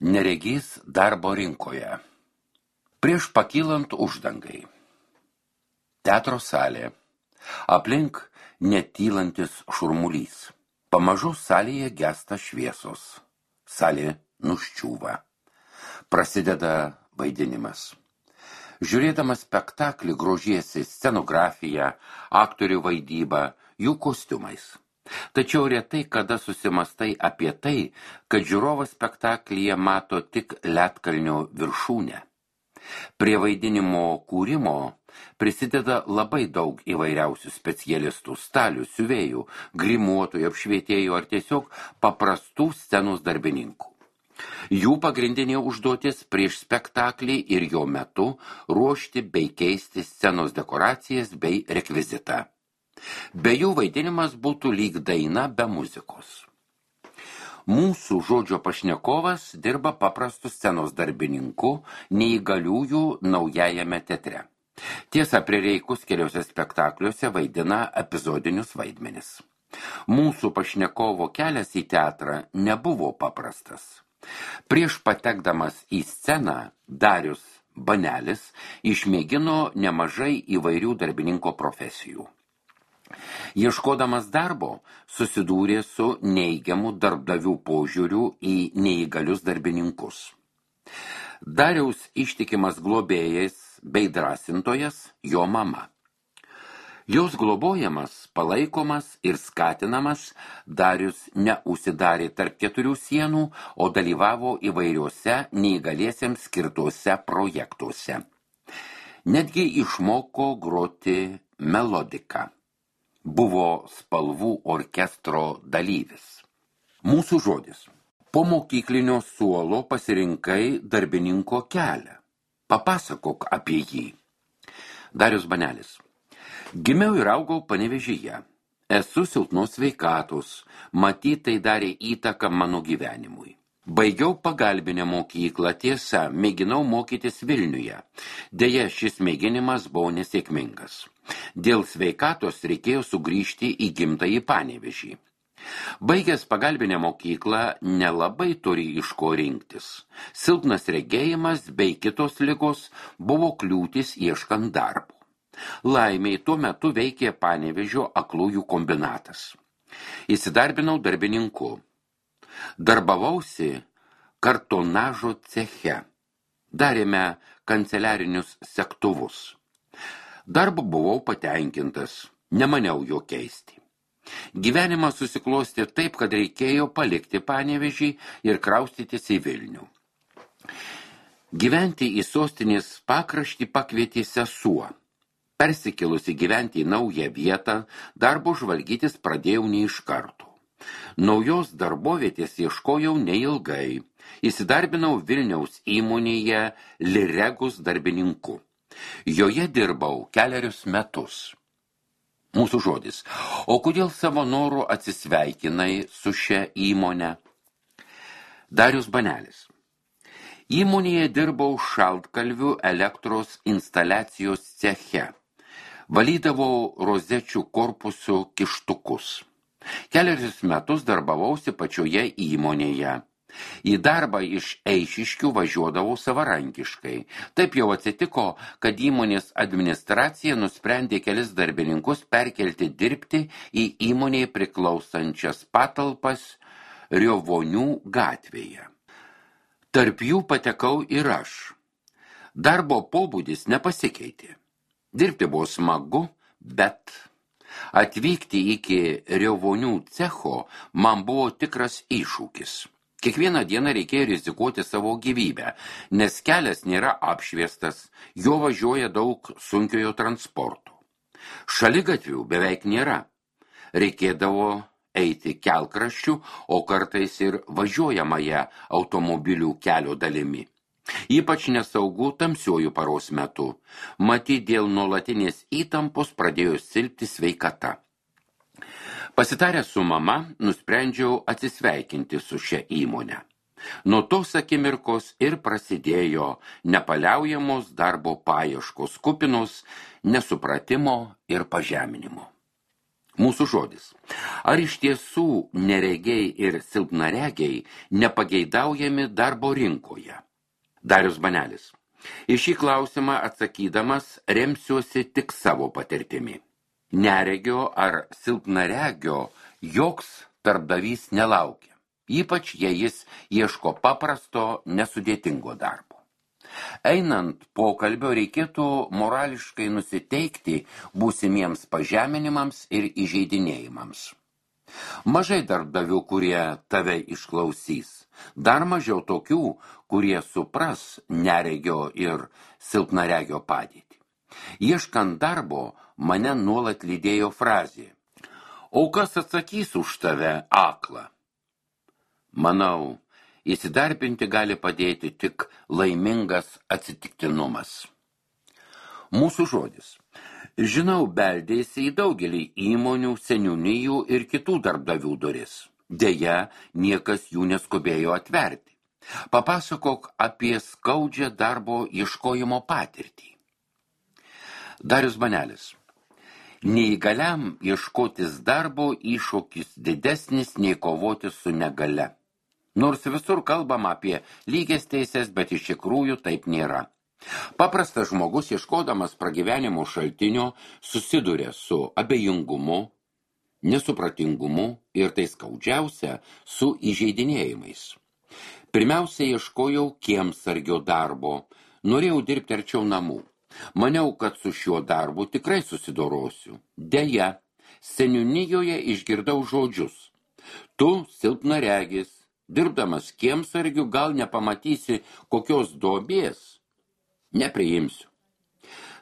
Neregys darbo rinkoje. Prieš pakylant uždangai. Teatro salė. Aplink netylantis šurmulys. Pamažu salėje gesta šviesos. Salė nuščiūva. Prasideda vaidinimas. Žiūrėdamas spektaklį grožiesi scenografiją, aktorių vaidybą, jų kostiumais. Tačiau retai kada susimastai apie tai, kad žiūrovas spektaklyje mato tik ledkalnio viršūnę. Prie vaidinimo kūrimo prisideda labai daug įvairiausių specialistų, stalių, siuvėjų, grimuotojų, apšvietėjų ar tiesiog paprastų scenos darbininkų. Jų pagrindinė užduotis prieš spektaklį ir jo metu ruošti bei keisti scenos dekoracijas bei rekvizitą. Be jų vaidinimas būtų lyg daina be muzikos. Mūsų žodžio pašnekovas dirba paprastų scenos darbininkų neįgaliųjų naujajame teatre. Tiesa, prireikus keliuose spektakliuose vaidina epizodinius vaidmenis. Mūsų pašnekovo kelias į teatrą nebuvo paprastas. Prieš patekdamas į sceną, Darius Banelis išmėgino nemažai įvairių darbininko profesijų. Ieškodamas darbo, susidūrė su neigiamu darbdavių požiūriu į neįgalius darbininkus. Dariaus ištikimas globėjas bei drąsintojas jo mama. Jos globojamas, palaikomas ir skatinamas, Darius neužsidarė tarp keturių sienų, o dalyvavo įvairiuose neįgaliesiems skirtuose projektuose. Netgi išmoko groti melodiką. Buvo spalvų orkestro dalyvis. Mūsų žodis. Po mokyklinio suolo pasirinkai darbininko kelią. Papasakok apie jį. Darius Banelis. Gimiau ir augau Panevėžyje. Esu silpnos sveikatos. Matyt, tai darė įtaką mano gyvenimui. Baigiau pagalbinę mokyklą, tiesa, mėginau mokytis Vilniuje. Deja, šis mėginimas buvo nesėkmingas. Dėl sveikatos reikėjo sugrįžti į gimtąjį Panevėžį. Baigęs pagalbinę mokyklą nelabai turi iš ko rinktis. Silpnas regėjimas bei kitos ligos buvo kliūtis ieškant darbo. Laimiai tuo metu veikė Panevėžio aklųjų kombinatas. Įsidarbinau darbininku. Darbavausi kartonažo ceche. Darėme kanceliarinius segtuvus. Darbu buvau patenkintas, nemaniau jo keisti. Gyvenimas susiklostė taip, kad reikėjo palikti Panevėžį ir kraustytis į Vilnių. Gyventi į sostinės pakraštį pakvietė sesuo. Persikėlusi gyventi į naują vietą, darbo žvalgytis pradėjau ne iš karto. Naujos darbovietės ieškojau neilgai. Įsidarbinau Vilniaus įmonėje Liregus darbininku. Joje dirbau 4 metus. Mūsų žodis. O kodėl savo norų atsisveikinai su šia įmonė? Darius Banelis. Įmonėje dirbau šaltkalvių elektros instaliacijos ceche. Valydavau rozečių korpusų kištukus. 4 metus darbavausi pačioje įmonėje. Į darbą iš Eišiškių važiuodavau savarankiškai. Taip jau atsitiko, kad įmonės administracija nusprendė kelis darbininkus perkelti dirbti į įmonėje priklausančias patalpas Riovonių gatvėje. Tarp jų patekau ir aš. Darbo pobūdis nepasikeitė. Dirbti buvo smagu, bet atvykti iki Riovonių cecho man buvo tikras iššūkis. Kiekvieną dieną reikėjo rizikuoti savo gyvybę, nes kelias nėra apšviestas, jo važiuoja daug sunkiojo transporto. Šaligatvių beveik nėra. Reikėdavo eiti kelkraščių, o kartais ir važiuojamąją automobilių kelio dalimi. Ypač nesaugu tamsiuoju paros metu. Matyt, dėl nuolatinės įtampos pradėjo silpti sveikata. Pasitaręs su mama, nusprendžiau atsisveikinti su šia įmonė. Nuo tos akimirkos ir prasidėjo nepaliaujamos darbo paieškos kupinos, nesupratimo ir pažeminimo. Mūsų žodis. Ar iš tiesų neregiai ir silpnaregiai nepageidaujami darbo rinkoje? Darius Banelis. Į šį klausimą atsakydamas remsiuosi tik savo patirtimi. Neregio ar silpnaregio joks darbdavys nelaukia, ypač jei jis ieško paprasto, nesudėtingo darbo. Einant pokalbio reikėtų morališkai nusiteikti būsimiems pažeminimams ir įžeidinėjimams. Mažai darbdavių, kurie tave išklausys, dar mažiau tokių, kurie supras neregio ir silpnaregio padėtį. Ieškant darbo, mane nuolat lydėjo frazė: o kas atsakys už tave, aklą? Manau, įsidarbinti gali padėti tik laimingas atsitiktinumas. Mūsų žodis. Žinau, beldėsi į daugelį įmonių, seniūnijų ir kitų darbdavių duris. Deja, niekas jų neskubėjo atverti. Papasakok apie skaudžią darbo ieškojimo patirtį. Darius Banelis. Neįgaliam ieškotis darbo iššūkis didesnis nei kovoti su negalia. Nors visur kalbama apie lygias teises, bet iš tikrųjų taip nėra. Paprastas žmogus, ieškodamas pragyvenimo šaltinio, susiduria su abejingumu, nesupratingumu ir tai skaudžiausia su įžeidinėjimais. Pirmiausia, ieškojau kiemsargio darbo, norėjau dirbti arčiau namų. Maniau, kad su šiuo darbu tikrai susidorosiu. Deja, seniūnijoje išgirdau žodžius: tu silpnaregis, dirbdamas kiemsargiu gal nepamatysi kokios duobės, nepriimsiu.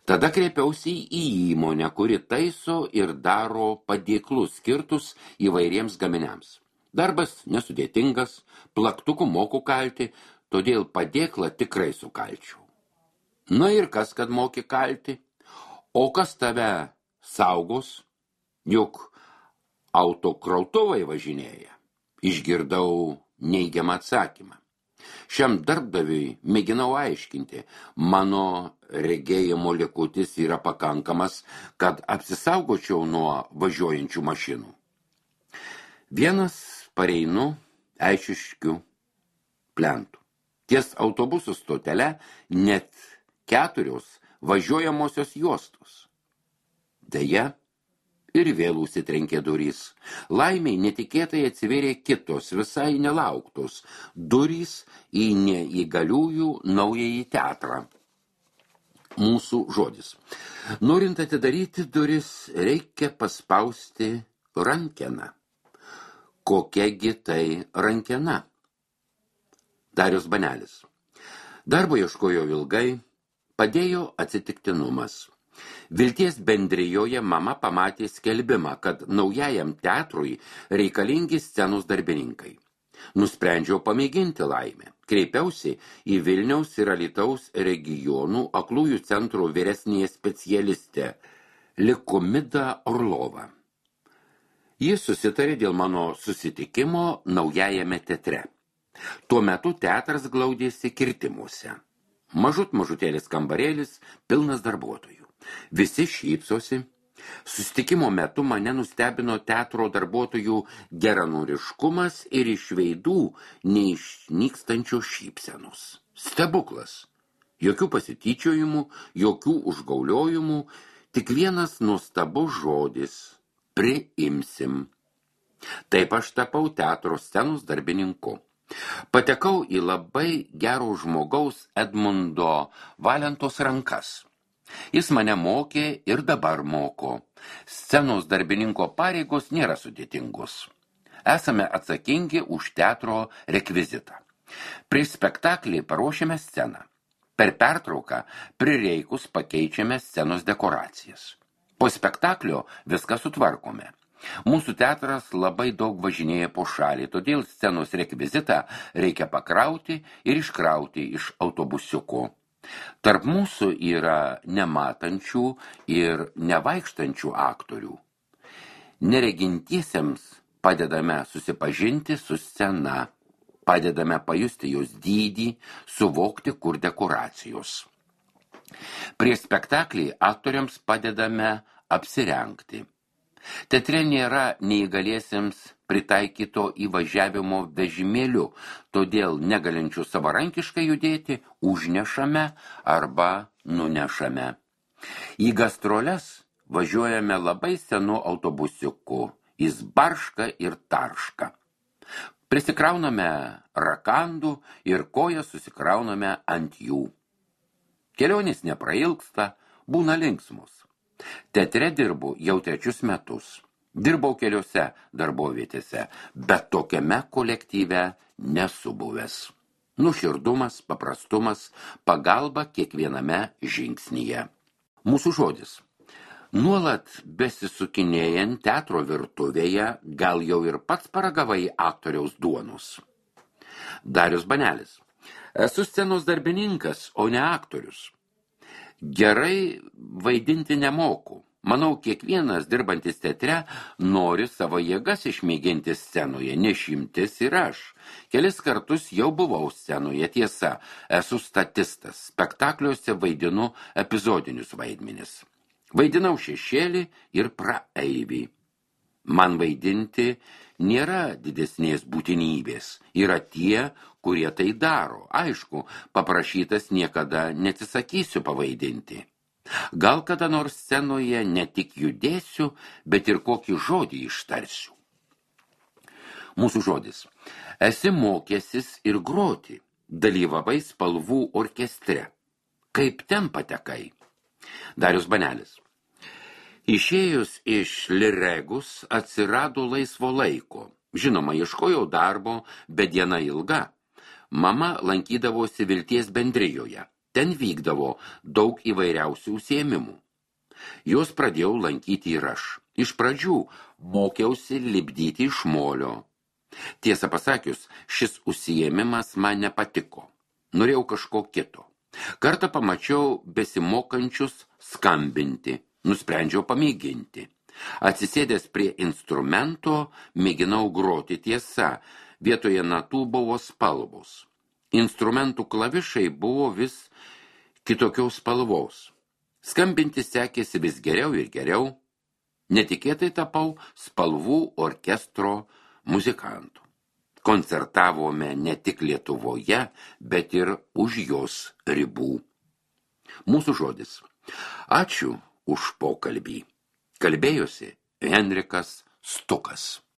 Tada kreipiausi į įmonę, kuri taiso ir daro padėklus skirtus įvairiems gaminiams. Darbas nesudėtingas, plaktuku moku kalti, todėl padėklą tikrai sukalčiau. Na ir kas, kad moki kalti? O kas tave saugos? Juk autokrautuvai važinėja. Išgirdau neigiamą atsakymą. Šiam darbdaviui mėginau aiškinti, mano regėjimo likutis yra pakankamas, kad apsisaugočiau nuo važiuojančių mašinų. Vienas pareinu Eišiškių plentų. Ties autobusų stotele net 4 važiuojamosios juostos. Deja, ir vėl užsitrenkė durys. Laimiai netikėtai atsivėrė kitos, visai nelauktos durys į neįgaliųjų naująjį teatrą. Mūsų žodis. Norint atidaryti duris, reikia paspausti rankeną. Kokiagi tai rankena? Darius Banelis. Darbo ieškojo ilgai, padėjo atsitiktinumas. Vilties bendrijoje mama pamatė skelbimą, kad naujajam teatrui reikalingi scenos darbininkai. Nusprendžiau pamėginti laimę. Kreipiausi į Vilniaus ir Alytaus regionų aklųjų centro vyresnėje specialistę Likumida Orlova. Jis susitarė dėl mano susitikimo naujajame teatre. Tuo metu teatras glaudėsi kirtimuose. Mažutėlis kambarėlis, pilnas darbuotojų. Visi šypsosi. Susitikimo metu mane nustebino teatro darbuotojų geranoriškumas ir iš veidų neišnykstančios šypsenos. Stebuklas. Jokių pasityčiojimų, jokių užgauliojimų, tik vienas nuostabus žodis – priimsim. Taip aš tapau teatro scenos darbininku. Patekau į labai gero žmogaus Edmundo Valentos rankas. Jis mane mokė ir dabar moko. Scenos darbininko pareigos nėra sudėtingos. Esame atsakingi už teatro rekvizitą. Prieš spektaklį paruošiame sceną. Per pertrauką prireikus pakeičiame scenos dekoracijas. Po spektaklio viską sutvarkome. Mūsų teatras labai daug važinėja po šalį, todėl scenos rekvizitą reikia pakrauti ir iškrauti iš autobusiuko. Tarp mūsų yra nematančių ir nevaikštančių aktorių. Neregintiesiems padedame susipažinti su scena, padedame pajusti jos dydį, suvokti, kur dekoracijos. Prieš spektaklį aktoriams padedame apsirengti. Teatre nėra neįgaliesiems pritaikyto įvažiavimo vežimėliu, todėl negalinčių savarankiškai judėti užnešame arba nunešame. Į gastroles važiuojame labai senu autobusiuku, jis barška ir tarška. Prisikrauname rakandų ir kojas susikrauname ant jų. Kelionės neprailgsta, būna linksmus. Teatre dirbu jau 3 metus. Dirbau keliose darbovietėse, bet tokiame kolektyve nesu buvęs. Nuoširdumas, paprastumas, pagalba kiekviename žingsnyje. Mūsų žodis. Nuolat besisukinėjant teatro virtuvėje, gal jau ir pats paragavai aktoriaus duonos. Darius Banelis. Esu scenos darbininkas, o ne aktorius. Gerai vaidinti nemoku. Manau, kiekvienas dirbantis teatre nori savo jėgas išmėginti scenoje, nešimtis ir aš. Kelis kartus jau buvau scenoje, tiesa, esu statistas, spektakliuose vaidinu epizodinius vaidmenis. Vaidinau šešėlį ir praeivį. Man vaidinti nėra didesnės būtinybės, yra tie, kurie tai daro. Aišku, paprašytas niekada neatsisakysiu pavaidinti. Gal kada nors scenoje ne tik judėsiu, bet ir kokį žodį ištarsiu. Mūsų žodis. Esi mokęsis ir groti, dalyvavai spalvų orkestre. Kaip ten patekai? Darius Banelis. Išėjus iš Liregus atsirado laisvo laiko. Žinoma, ieškojau darbo, bet diena ilga. Mama lankydavosi Vilties bendrijoje. Ten vykdavo daug įvairiausių užsiėmimų. Juos pradėjau lankyti ir aš. Iš pradžių mokiausi lipdyti iš molio. Tiesą pasakius, šis užsiėmimas man nepatiko. Norėjau kažko kito. Kartą pamačiau besimokančius skambinti. Nusprendžiau pamėginti. Atsisėdęs prie instrumento, mėginau groti. Tiesa, vietoje natų buvo spalvos. Instrumentų klavišai buvo vis kitokios spalvos. Skambinti sekėsi vis geriau ir geriau. Netikėtai tapau spalvų orkestro muzikantų. Koncertavome ne tik Lietuvoje, bet ir už jos ribų. Mūsų žodis. Ačiū už pokalbį. Kalbėjosi Henrikas Stukas.